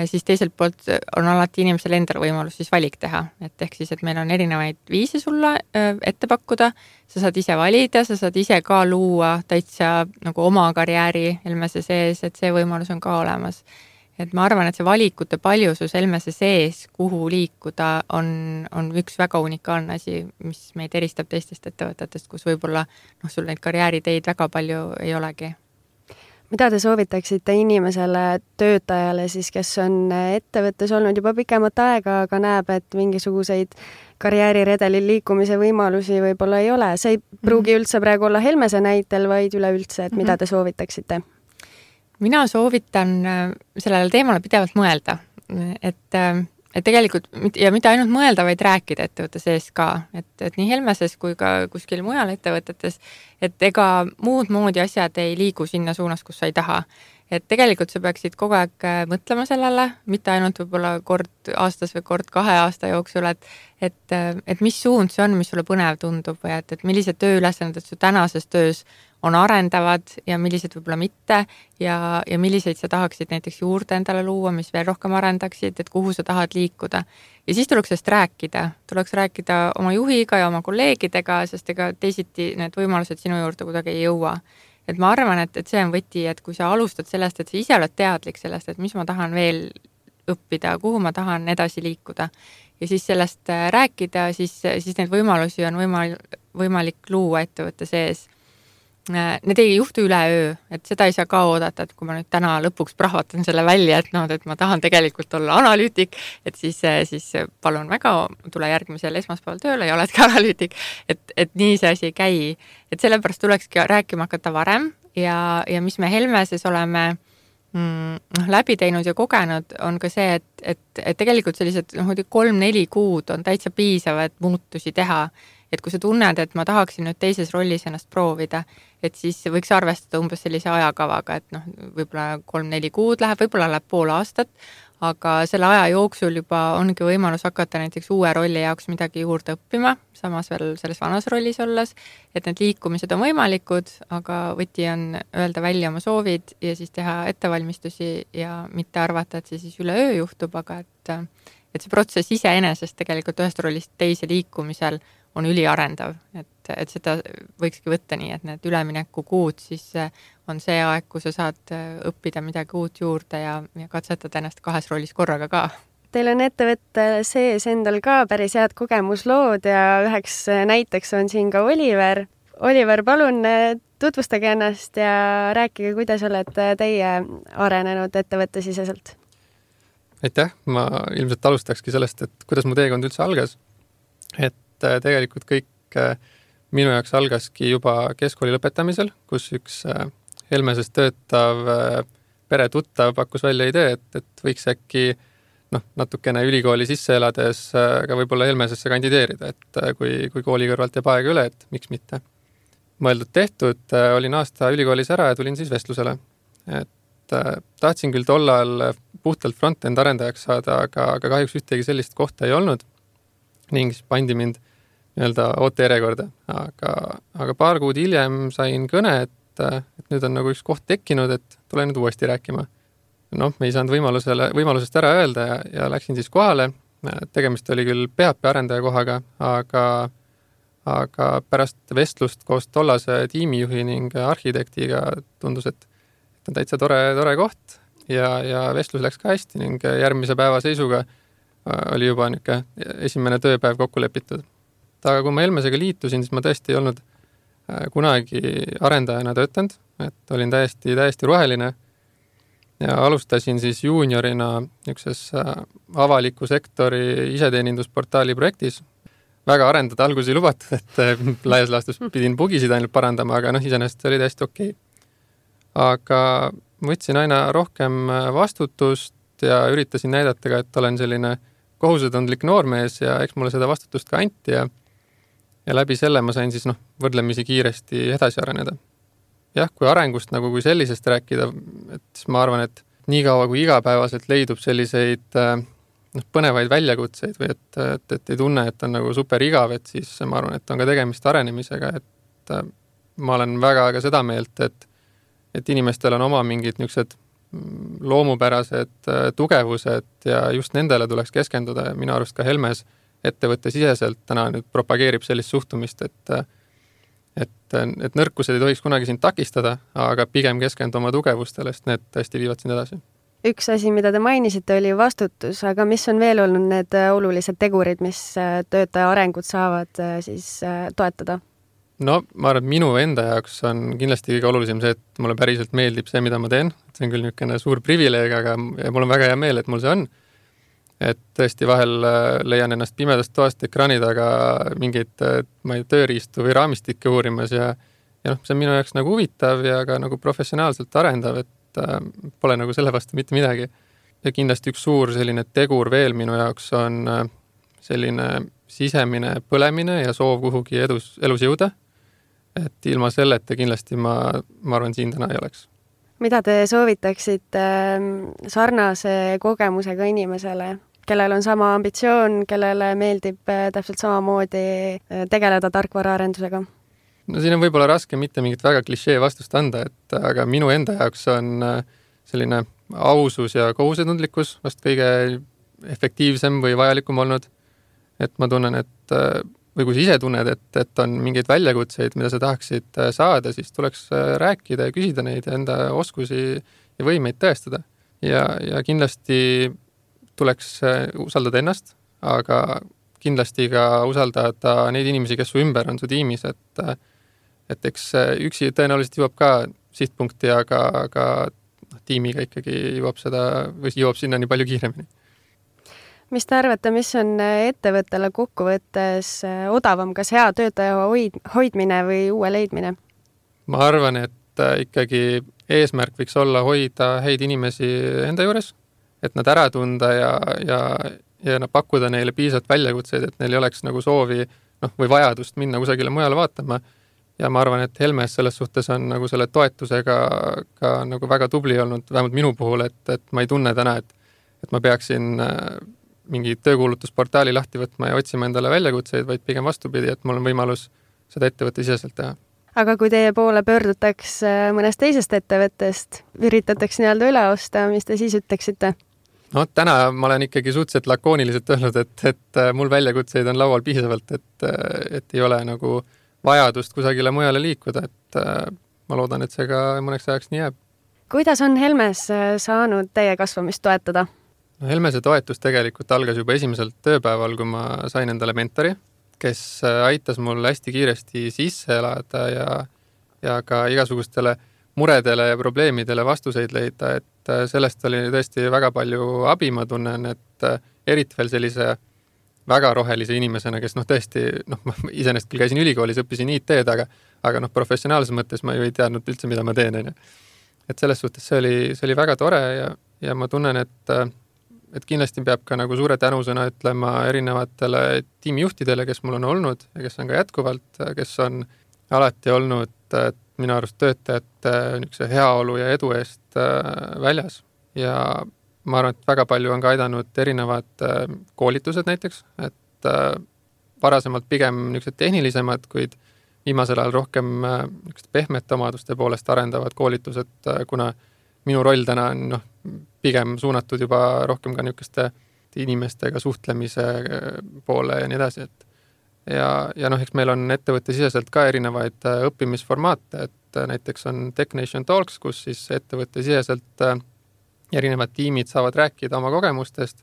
siis teiselt poolt on alati inimesel endal võimalus siis valik teha, et ehk siis, et meil on erinevaid viise sulle ette pakkuda, sa saad ise valida, sa saad ise ka luua täitsa nagu oma karjääri Helmese sees, et see võimalus on ka olemas. Et ma arvan, et see valikute paljusus Helmese sees, kuhu liikuda, on, on üks väga unikaalne asi, mis meid eristab teistest ettevõtetest, kus võib-olla noh, sul neid karjääriteid väga palju ei olegi. Mida te soovitaksite inimesele, töötajale siis, kes on ettevõttes olnud juba pikemat aega, aga näeb, et mingisuguseid karjääriredelil liikumise võimalusi võib-olla ei ole? See ei pruugi üldse praegu olla Helmese näitel, vaid üleüldse, et mida te soovitaksite? Mina soovitan sellele teemale pidevalt mõelda, et et tegelikult, ja mitte ainult mõelda, vaid rääkida ettevõtte sees ka, et, et nii Helmeses kui ka kuskil mujal ettevõtetes, et ega muud moodi asjad ei liigu sinna suunas, kus sa ei taha. Et tegelikult sa peaksid kogu aeg mõtlema sellele, mitte ainult võib-olla kord aastas või kord kahe aasta jooksul, et, et, et mis suund see on, mis sulle põnev tundub või et, et millised tööülesanded su tänases töös on arendavad ja millised võib-olla mitte ja, ja milliseid sa tahaksid näiteks juurde endale luua, mis veel rohkem arendaksid, et kuhu sa tahad liikuda. Ja siis tuleks sellest rääkida. Tuleks rääkida oma juhiga ja oma kolleegidega, sest ega teisiti need võimalused sinu juurde kuidagi ei jõua. Et ma arvan, et, et see on võti, et kui sa alustad sellest, et sa ise oled teadlik sellest, et mis ma tahan veel õppida, kuhu ma tahan edasi liikuda ja siis sellest rääkida, siis, siis neid võimalusi on võimalik, võimalik luua ettevõtte sees. need ei juhtu üleöö, et seda ei saa ka oodata, et kui ma nüüd täna lõpuks prahvatan selle välja, et noh, et ma tahan tegelikult olla analüütik, et siis, siis palun väga, tule järgmisel esmaspäeval tööle ja oledki analüütik, et, et nii see asi ei käi. Et sellepärast tulekski rääkima hakata varem ja, ja mis me Helmeses oleme mm, läbi teinud ja kogenud, on ka see, et, et, et tegelikult sellised noh, kolm-neli kuud on täitsa piisav, et muutusi teha. Et kui sa tunned, et ma tahaksin nüüd teises rollis ennast proovida, et siis võiks arvestada umbes sellise ajakavaga, et noh, võib-olla kolm-neli kuud läheb, võib-olla läheb pool aastat, aga selle aja jooksul juba ongi võimalus hakata näiteks uue rolli jaoks midagi juurde õppima, samas veel selles vanas rollis olles, et need liikumised on võimalikud, aga võti on öelda välja oma soovid ja siis teha ettevalmistusi ja mitte arvata, et see siis üleöö juhtub, aga et, et see protsess iseenesest tegelikult ühest rollist teise liikumisel on üliarendav, et, et seda võikski võtta nii, et need ülemineku kuud siis on see aeg, kus sa saad õppida midagi uut juurde ja, ja katsetada ennast kahes rollis korraga ka. Teil on ettevõtte sees endal ka päris head kogemuslood ja üheks näiteks on siin ka Oliver. Oliver, palun tutvustage ennast ja rääkige, kuidas olete teie arenenud ettevõtte siseselt. Aitäh, ma ilmselt alustakski sellest, et kuidas mu teekond üldse algas. Et tegelikult kõik minu jaoks algaski juba keskkooli lõpetamisel, kus üks Helmeses töötav peretuttav pakkus välja idee, et, et võiks äkki noh, natukene ülikooli sisse elades ka võib-olla Helmesesse kandideerida, et kui, kui kooli kõrvalt jääb aega üle, et miks mitte. Mõeldud tehtud, olin aasta ülikoolis ära ja tulin siis vestlusele. Et tahtsin küll tollal puhtalt front-end arendajaks saada, aga, aga kahjuks ühtegi sellist kohta ei olnud ning siis pandi mind nii-öelda ootejärjekorda, aga, aga paar kuud hiljem sain kõne, et, et nüüd on nagu üks koht tekkinud, et tule nüüd uuesti rääkima. Noh, me ei saanud võimalusele, võimalusest ära öelda ja, ja läksin siis kohale. Tegemist oli küll P H P arendaja kohaga, aga, aga pärast vestlust koos tollase tiimijuhi ning arhitektiga tundus, et on täitsa tore, tore koht ja, ja vestlus läks ka hästi ning järgmise päeva seisuga oli juba niisugune esimene tööpäev kokku lepitud. Aga kui ma Helmesega liitusin, siis ma tõesti ei olnud kunagi arendajana töötanud, et olin täiesti, täiesti roheline ja alustasin siis juuniorina niisuguses avaliku sektori iseteenindusportaali projektis. Väga arendada alguses ei lubatud, et laias laastus pidin bugisid ainult parandama, aga noh, iseenesest oli täiesti okei. Aga võtsin aina rohkem vastutust ja üritasin näidata ka, et olen selline kohusetundlik noormees ja eks mulle seda vastutust ka anti ja ja läbi selle ma sain siis noh, võrdlemisi kiiresti edasi areneda. Jah, kui arengust nagu kui sellisest rääkida, et siis ma arvan, et nii kaua kui igapäevaselt leidub selliseid noh, põnevaid väljakutseid või et, et, et ei tunne, et on nagu super igav, et siis ma arvan, et on ka tegemist arenemisega, et ma olen väga ka seda meelt, et, et inimestel on oma mingid niisugused loomupärased tugevused ja just nendele tuleks keskenduda ja minu arust ka Helmes ettevõtte siseselt täna nüüd propageerib sellist suhtumist, et, et, et nõrkused ei tohiks kunagi sind takistada, aga pigem keskendu oma tugevustele, sest need tõesti viivad sind edasi. Üks asi, mida te mainisite, oli vastutus, aga mis on veel olnud need olulised tegurid, mis töötaja arengut saavad siis toetada? No ma arvan, et minu enda jaoks on kindlasti kõige olulisem see, et mulle päriselt meeldib see, mida ma teen. See on küll niisugune suur privileeg, aga mul on väga hea meel, et mul see on. Et tõesti vahel leian ennast pimedast toast ekraani taga mingeid ma ei, tööriistu või raamistikke uurimas ja, ja noh, see on minu jaoks nagu huvitav ja ka nagu professionaalselt arendav, et äh, pole nagu selle vastu mitte midagi. Ja kindlasti üks suur selline tegur veel minu jaoks on äh, selline sisemine põlemine ja soov kuhugi edus, elus jõuda. Et ilma selleta kindlasti ma, ma arvan, siin täna ei oleks. Mida te soovitaksite sarnase kogemusega inimesele, kellel on sama ambitsioon, kellele meeldib täpselt samamoodi tegeleda tarkvaraarendusega? No siin on võib-olla raske mitte mingit väga klišee vastust anda, et aga minu enda jaoks on selline ausus ja kohusetundlikkus vast kõige efektiivsem või vajalikum olnud. Et ma tunnen, et või kui sa ise tunned, et, et on mingeid väljakutseid, mida sa tahaksid saada, siis tuleks rääkida ja küsida neid ja enda oskusi ja võimeid tõestada. Ja, ja kindlasti tuleks usaldada ennast, aga kindlasti ka usaldada neid inimesi, kes su ümber on su tiimis, et, et eks üksi tõenäoliselt jõuab ka sihtpunkti, aga, aga tiimiga ikkagi jõuab seda või jõuab sinna nii palju kiiremini. Mis te arvate, mis on ettevõttele kokkuvõttes odavam, kas hea töötaja hoid, hoidmine või uue leidmine? Ma arvan, et ikkagi eesmärk võiks olla hoida häid inimesi enda juures, et nad ära tunda ja, ja, ja pakkuda neile piisavalt väljakutseid, et neil ei oleks nagu soovi noh, või vajadust minna kusagile mujale vaatama. Ja ma arvan, et Helmes selles suhtes on nagu selle toetusega ka nagu väga tubli olnud, vähemalt minu puhul, et, et ma ei tunne täna, et, et ma peaksin mingi töökuulutusportaali lahti võtma ja otsima endale väljakutseid, vaid pigem vastupidi, et mul on võimalus seda ettevõtte siseselt teha. Aga kui teie poole pöördutaks mõnest teisest ettevõttest, üritataks nii-öelda üle osta, mis te siis ütleksite? No täna ma olen ikkagi suhteliselt lakooniliselt öelnud, et, et mul väljakutseid on laual piisavalt, et, et ei ole nagu vajadust kusagile mujale liikuda, et ma loodan, et see ka mõneks ajaks nii jääb. Kuidas on Helmes saanud teie kasvamist toetada? No Helmese toetus tegelikult algas juba esimesel tööpäeval, kui ma sain endale mentori, kes aitas mul hästi kiiresti sisse elada ja, ja ka igasugustele muredele ja probleemidele vastuseid leida, et sellest oli tõesti väga palju abi, ma tunnen, et eriti veel sellise väga rohelise inimesena, kes noh tõesti, noh ma isenest küll käisin ülikoolis, õppisin I T-d, aga, aga noh professionaalses mõttes ma ju ei teadnud üldse, mida ma teen. Et selles suhtes see oli, see oli väga tore ja, ja ma tunnen, et, et kindlasti peab ka nagu suure tänusõna ütlema erinevatele tiimijuhtidele, kes mul on olnud ja kes on ka jätkuvalt, kes on alati olnud minu arust töötajate niisuguse heaolu ja edu eest väljas ja ma arvan, et väga palju on ka aidanud erinevad koolitused näiteks, et varasemalt pigem niisugused tehnilisemad, kuid viimasel ajal rohkem pehmete omaduste poolest arendavad koolitused, kuna minu roll täna on noh, pigem suunatud juba rohkem ka niisuguste inimestega suhtlemise poole ja nii edasi, et ja, ja noh, eks meil on ettevõtte siseselt ka erinevaid õppimisformaate, et näiteks on Tech Nation Talks, kus siis ettevõtte siseselt erinevad tiimid saavad rääkida oma kogemustest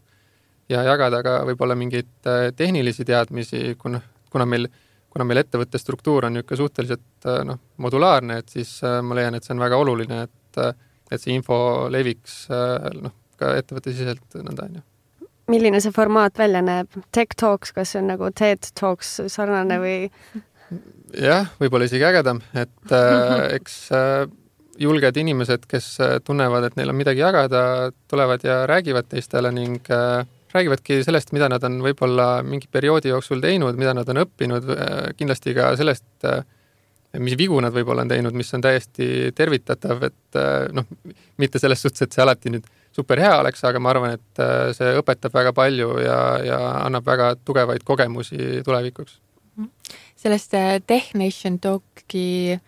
ja jagada ka võib-olla mingeid tehnilisi teadmisi, kuna, kuna, meil, kuna meil ettevõtte struktuur on niisugune suhteliselt noh, modulaarne, et siis ma leian, et see on väga oluline, et, et see info leviks noh, ka ettevõtte siseselt nõnda on ju. Milline see formaat välja näeb? Tech Talks, kas see on nagu TED Talks sarnane või? Jah, võib-olla isegi ägedam, et äh, eks äh, julged inimesed, kes tunnevad, et neil on midagi jagada, tulevad ja räägivad teistele ning äh, räägivadki sellest, mida nad on võib-olla mingi perioodi jooksul teinud, mida nad on õppinud, äh, kindlasti ka sellest, äh, mis vigu nad võib-olla on teinud, mis on täiesti tervitatav, et äh, noh, mitte selles suhtes, et see alati nüüd super hea oleks, aga ma arvan, et äh, see õpetab väga palju ja, ja annab väga tugevaid kogemusi tulevikuks. Sellest Tech Nation Talki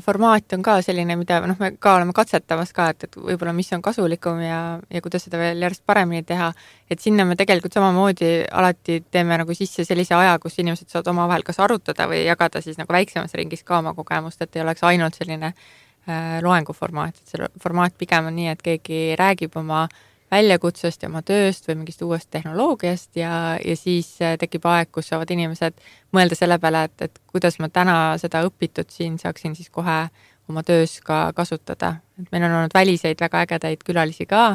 formaat on ka selline, mida noh, me ka oleme katsetamas ka, et, et võib-olla mis on kasulikum ja, ja kuidas seda veel järjest paremini teha, et sinna me tegelikult samamoodi alati teeme nagu sisse sellise aja, kus inimesed saavad omavahel kas arutada või jagada siis nagu väiksemas ringis ka oma kogemust, et ei oleks ainult selline äh, loenguformaat, et see formaat pigem on nii, et keegi räägib oma väljakutsest ja oma tööst või mingist uuest tehnoloogiast ja, ja siis tekib aeg, kus saavad inimesed mõelda selle peale, et, et kuidas ma täna seda õpitud siin saaksin siis kohe oma töös ka kasutada. Et meil on olnud väliseid väga ägedaid külalisi ka.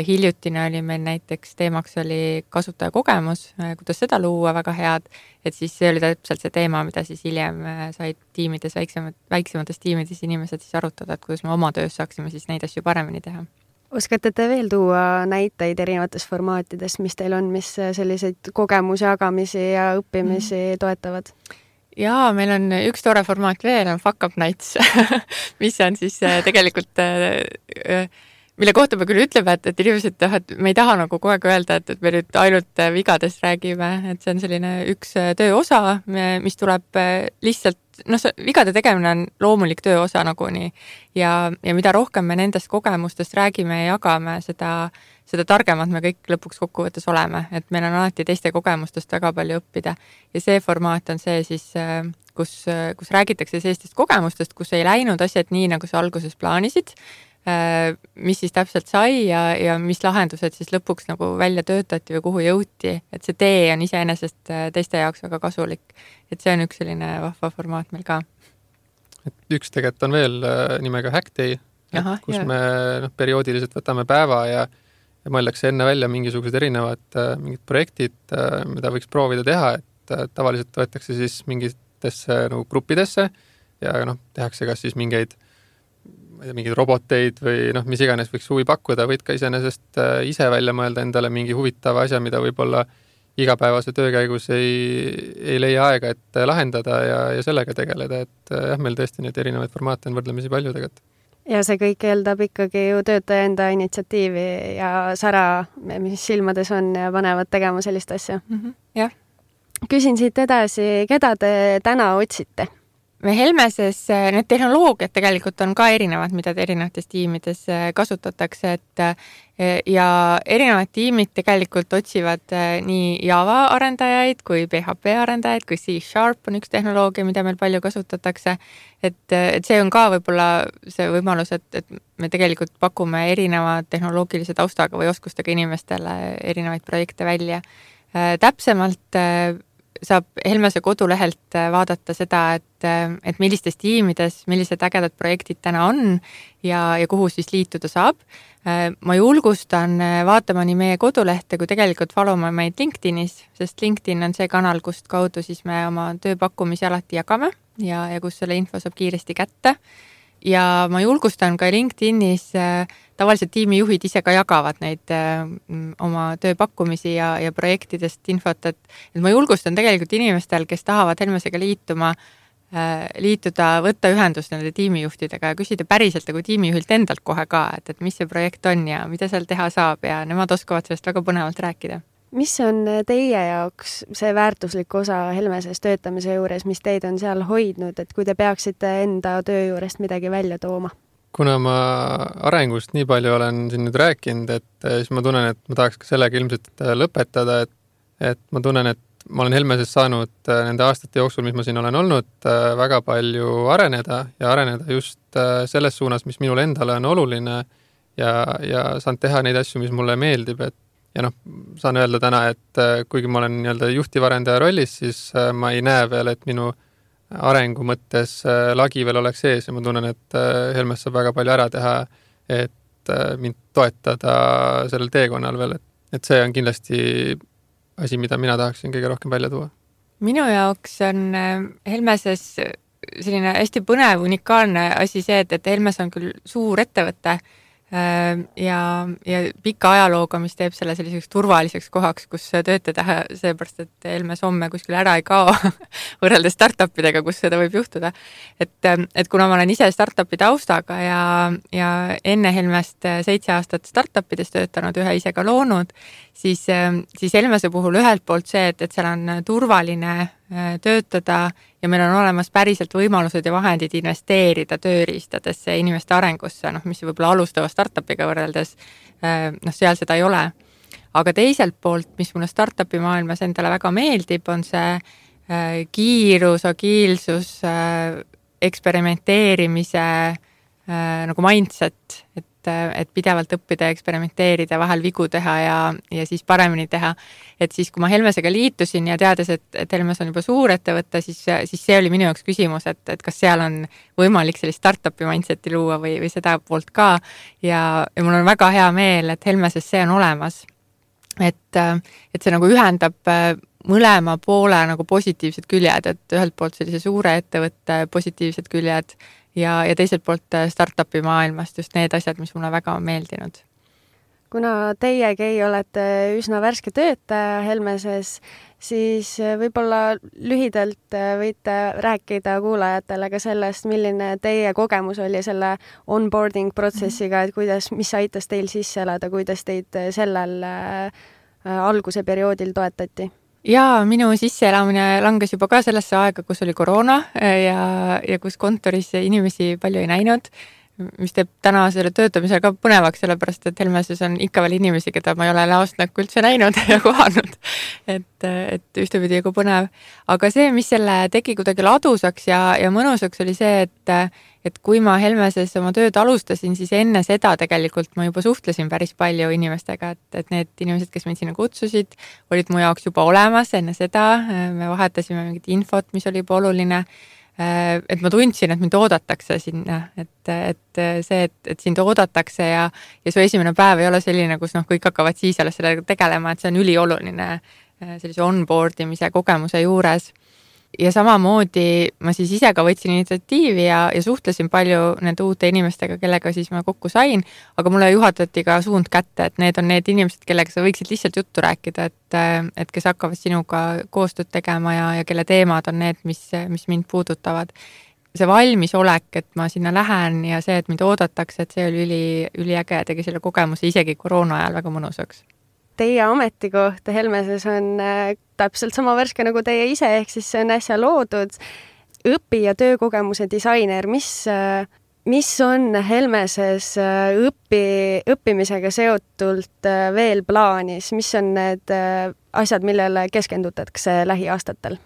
Hiljutine oli meil näiteks teemaks oli kasutajakogemus, kuidas seda luua väga head, et siis see oli täpselt see teema, mida siis hiljem said tiimides, väiksemad, väiksemates tiimides inimesed siis arutada, et kuidas me oma töös saaksime siis neid asju paremini teha. Oskate te veel tuua näiteid erinevates formaatides, mis teil on, mis selliseid kogemusi, jagamisi ja õppimisi mm. toetavad? Jaa, meil on üks tore formaat veel, on Fuck Up Nights, mis on siis tegelikult, mille kohta me küll ütleme, et, et inimesed, et me ei taha nagu kogu aeg öelda, et, et me nüüd ainult vigadest räägime, et see on selline üks töö osa, mis tuleb lihtsalt noh, see vigade tegemine on loomulik töö osa nagunii ja, ja mida rohkem me nendest kogemustest räägime ja jagame, seda, seda targemad me kõik lõpuks kokkuvõttes oleme, et meil on alati teiste kogemustest väga palju õppida ja see formaat on see siis, kus, kus räägitakse sellistest kogemustest, kus ei läinud asjad nii, nagu sa alguses plaanisid, mis siis täpselt sai ja, ja mis lahendused siis lõpuks nagu välja töötati või kuhu jõuti, et see tee on iseenesest teiste jaoks väga kasulik. Et see on üks selline vahva formaat meil ka. et üks tegelikult on veel nimega Hackday, Aha, kus jah. me noh, perioodiliselt võtame päeva ja, ja mõeldakse enne välja mingisugused erinevad mingid projektid, mida võiks proovida teha, et tavaliselt võetakse siis mingitesse nagu gruppidesse ja noh, tehakse kas siis mingeid mingeid roboteid või noh, mis iganes võiks huvi pakkuda, võid ka iseenesest ise välja mõelda endale mingi huvitava asja, mida võib-olla igapäevase töö käigus ei, ei leia aega, et lahendada ja, ja sellega tegeleda, et jah, meil tõesti neid erinevaid formaate on võrdlemisi palju tegelikult. Ja see kõik eeldab ikkagi ju töötaja enda initsiatiivi ja sära, mis silmades on ja panevad tegema sellist asja. Mm-hmm. Jah. Küsin siit edasi, keda te täna otsite? Me Helmeses need tehnoloogiad tegelikult on ka erinevad, mida erinevates tiimides kasutatakse, et ja erinevad tiimid tegelikult otsivad nii Java arendajaid kui P H P arendajaid, kui C Sharp on üks tehnoloogia, mida meil palju kasutatakse. Et, et see on ka võib-olla see võimalus, et, et me tegelikult pakume erineva tehnoloogilise taustaga või oskustega inimestele erinevaid projekte välja. Täpsemalt saab Helmese kodulehelt vaadata seda, et, et millistes tiimides, millised ägedad projektid täna on ja, ja kuhu siis liituda saab. Ma julgustan vaatama nii meie kodulehte, kui tegelikult followma meid LinkedInis, sest LinkedIn on see kanal, kust kaudu siis me oma tööpakkumisi alati jagame ja, ja kus selle info saab kiiresti kätte. Ja ma julgustan ka LinkedInis, tavaliselt tiimijuhid ise ka jagavad neid oma tööpakkumisi ja, ja projektidest infot, et, et ma julgustan tegelikult inimestel, kes tahavad Helmesega liituma, liituda, võtta ühendust nende tiimijuhtidega ja küsida päriselt nagu tiimijuhilt endalt kohe ka, et, et mis see projekt on ja mida seal teha saab ja nemad oskavad sellest väga põnevalt rääkida. Mis on teie jaoks see väärtuslik osa Helmeses töötamise juures, mis teid on seal hoidnud, et kui te peaksite enda töö juurest midagi välja tooma? Kuna ma arengust nii palju olen siin nüüd rääkinud, et siis ma tunnen, et ma tahaks ka sellega ilmselt lõpetada, et, et ma tunnen, et ma olen Helmeses saanud nende aastate jooksul, mis ma siin olen olnud, väga palju areneda ja areneda just selles suunas, mis minule endale on oluline ja, ja saan teha neid asju, mis mulle meeldib, et ja noh, saan öelda täna, et kuigi ma olen nii-öelda juhtivarendaja rollis, siis ma ei näe veel, et minu arengu mõttes lagi veel oleks ees ja ma tunnen, et Helmes saab väga palju ära teha, et mind toetada sellel teekonnal veel, et, et see on kindlasti asi, mida mina tahaksin kõige rohkem välja tuua. Minu jaoks on Helmeses selline hästi põnev, unikaalne asi see, et, et Helmes on küll suur ettevõte, ja, ja pika ajalooga, mis teeb selle selliseks turvaliseks kohaks, kus töötada, seepärast, et Helmes homme kuskil ära ei kao võrreldes startupidega, kus seda võib juhtuda. Et, et kuna ma olen ise startupi taustaga ja, ja enne Helmest seitse aastat startupides töötanud, ühe ise ka loonud, siis, siis Helmese puhul ühelt poolt see, et, et seal on turvaline töötada ja meil on olemas päriselt võimalused ja vahendid investeerida tööriistadesse inimeste arengusse, noh, mis võib-olla alustava startupiga võrreldes, noh, seal seda ei ole. Aga teiselt poolt, mis mulle startupi maailmas endale väga meeldib, on see kiirus, agiilsus, eksperimenteerimise nagu mindset, et et pidevalt õppida ja eksperimenteerida, vahel vigu teha ja, ja siis paremini teha. Et siis, kui ma Helmesega liitusin ja teades, et, et Helmes on juba suur ettevõte, siis, siis see oli minu jaoks küsimus, et, et kas seal on võimalik sellist startupi mindseti luua või, või seda poolt ka. Ja, ja mul on väga hea meel, et Helmeses see on olemas. Et, et see nagu ühendab mõlema poole nagu positiivsed küljed, et ühelt poolt sellise suure ettevõtte positiivsed küljed ja, ja teiselt poolt startupi maailmast just need asjad, mis mulle väga on meeldinud. Kuna teiegi olete üsna värske töötaja Helmeses, siis võib-olla lühidalt võite rääkida kuulajatele ka sellest, milline teie kogemus oli selle onboarding protsessiga, et kuidas, mis aitas teil sisse elada, kuidas teid sellel alguse perioodil toetati? Jaa, minu sisseelamine langes juba ka sellesse aega, kus oli koroona ja, ja kus kontoris inimesi palju ei näinud, mis teeb täna selle töötamisel ka põnevaks, sellepärast et Helmeses on ikka veel inimesi, keda ma ei ole näost näkku üldse näinud ja kohanud. Et, et ühtepidi nagu põnev. Aga see, mis selle tegi kuidagi ladusaks ja, ja mõnusaks, oli see, et, et kui ma Helmeses oma tööd alustasin, siis enne seda tegelikult ma juba suhtlesin päris palju inimestega, et, et need inimesed, kes mind sinna kutsusid, olid mu jaoks juba olemas enne seda. Me vahetasime mingit infot, mis oli juba oluline. et ma tundsin, et mind oodatakse sinna, et, et see, et, et sind oodatakse ja, ja su esimene päev ei ole selline, kus noh, kõik hakkavad siis alles sellega tegelema, et see on ülioluline sellise onboard imise kogemuse juures. Ja samamoodi ma siis ise ka võtsin initsiatiivi ja, ja suhtlesin palju nende uute inimestega, kellega siis ma kokku sain, aga mulle juhatati ka suund kätte, et need on need inimesed, kellega sa võiksid lihtsalt juttu rääkida, et, et kes hakkavad sinuga koostööd tegema ja, ja kelle teemad on need, mis, mis mind puudutavad. See valmisolek, et ma sinna lähen ja see, et mind oodatakse, et see oli üli, üliäge ja tegi selle kogemuse isegi koroona ajal väga mõnusaks. Teie ametikoht Helmeses on äh, täpselt sama värske nagu teie ise, ehk siis see on äsja loodud õpi- ja töökogemuse disainer. Mis, äh, mis on Helmeses äh, õpi, õppimisega seotult äh, veel plaanis? Mis on need äh, asjad, millele keskendutakse lähiaastatel?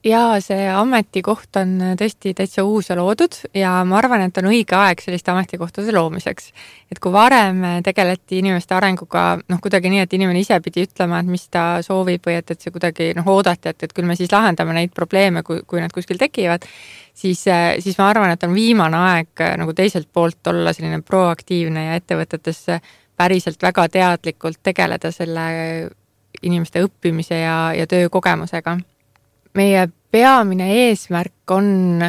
Jaa, see ametikoht on tõesti täitsa uus ja loodud ja ma arvan, et on õige aeg selliste ametikohtade loomiseks. Et kui varem tegeleti inimeste arenguga noh, kuidagi nii, et inimene ise pidi ütlema, et mis ta soovib või et, et see kuidagi noh, oodati, et, et küll me siis lahendame neid probleeme, kui, kui nad kuskil tekivad, siis, siis ma arvan, et on viimane aeg nagu teiselt poolt olla selline proaktiivne ja ettevõtetesse päriselt väga teadlikult tegeleda selle inimeste õppimise ja, ja töökogemusega. Meie peamine eesmärk on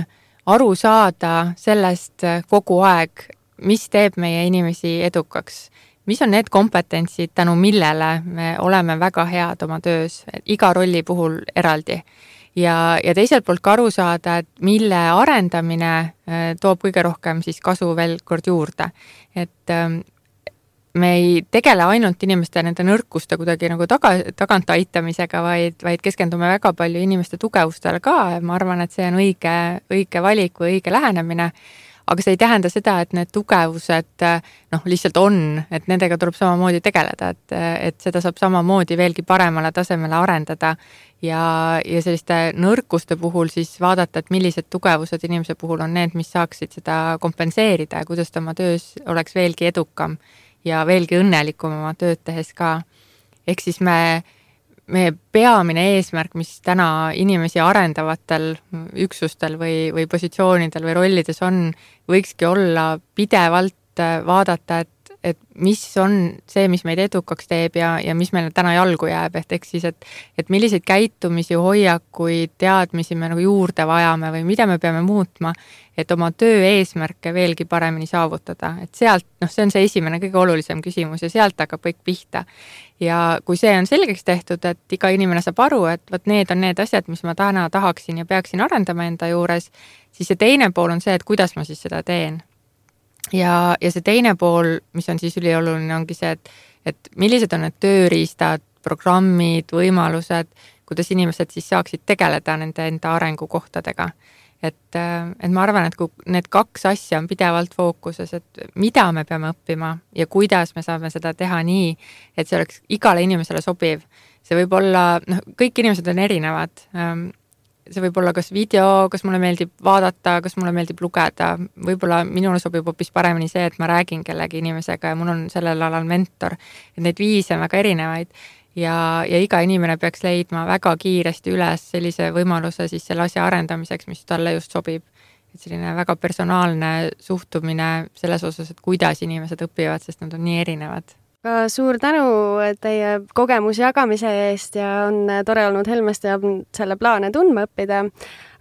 aru saada sellest kogu aeg, mis teeb meie inimesi edukaks. Mis on need kompetentsid, tänu millele me oleme väga head oma töös, iga rolli puhul eraldi. Ja, ja teiselt poolt ka aru saada, et mille arendamine toob kõige rohkem siis kasu veel kord juurde. Et me ei tegele ainult inimeste nende nõrkuste kuidagi nagu taga, tagant aitamisega, vaid, vaid keskendume väga palju inimeste tugevustele ka. Ma arvan, et see on õige, õige valik või õige lähenemine. Aga see ei tähenda seda, et need tugevused noh, lihtsalt on, et nendega tuleb samamoodi tegeleda, et, et seda saab samamoodi veelgi paremale tasemele arendada ja, ja selliste nõrkuste puhul siis vaadata, et millised tugevused inimese puhul on need, mis saaksid seda kompenseerida ja kuidas ta oma töös oleks veelgi edukam ja veelgi õnnelikum oma tööd tehes ka. Ehk siis me, meie peamine eesmärk, mis täna inimesi arendavatel üksustel või, või positsioonidel või rollides on, võikski olla pidevalt vaadata, et, et mis on see, mis meid edukaks teeb ja, ja mis meile täna jalgu jääb. Ehk siis, et, et milliseid käitumisi, hoiakuid, teadmisi me nagu juurde vajame või mida me peame muutma, et oma töö eesmärke veelgi paremini saavutada. Et sealt, noh, see on see esimene kõige olulisem küsimus ja sealt hakkab kõik pihta. Ja kui see on selgeks tehtud, et iga inimene saab aru, et võt need on need asjad, mis ma täna tahaksin ja peaksin arendama enda juures, siis see teine pool on see, et kuidas ma siis seda teen. Ja, ja see teine pool, mis on siis ülioluline, ongi see, et, et millised on need tööriistad, programmid, võimalused, kuidas inimesed siis saaksid tegeleda nende enda arengukohtadega. Et, et ma arvan, et kui need kaks asja on pidevalt fookuses, et mida me peame õppima ja kuidas me saame seda teha nii, et see oleks igale inimesele sobiv. See võib olla, noh, kõik inimesed on erinevad. See võib olla kas video, kas mulle meeldib vaadata, kas mulle meeldib lugeda. Võib-olla minule sobib hoopis paremini see, et ma räägin kellegi inimesega ja mul on sellel alal mentor. Et neid viise on väga erinevaid. Ja, ja iga inimene peaks leidma väga kiiresti üles sellise võimaluse siis selle asja arendamiseks, mis talle just sobib. Et selline väga personaalne suhtumine selles osas, et kuidas inimesed õpivad, sest nad on nii erinevad. Ka suur tänu teie kogemuse jagamise eest ja on tore olnud Helmest ja selle plaane tundma õppida.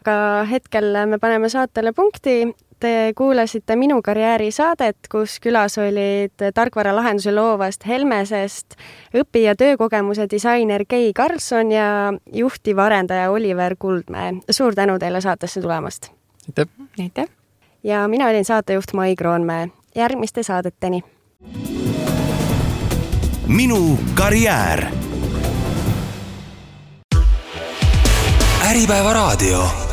Aga hetkel me paneme saatele punkti. Te kuulasite Minu karjääri saadet, kus külas olid tarkvara lahendusi loovast Helmesest õpi- ja töökogemuse disainer Kei Karlsson ja juhtiv arendaja Oliver Kuldmäe. Suur tänu teile saatesse tulemast. Aitäh. Aitäh. Ja mina olin saatejuht Mai Kroonmäe. Järgmiste saadeteni. Minu karjäär. Äripäeva raadio.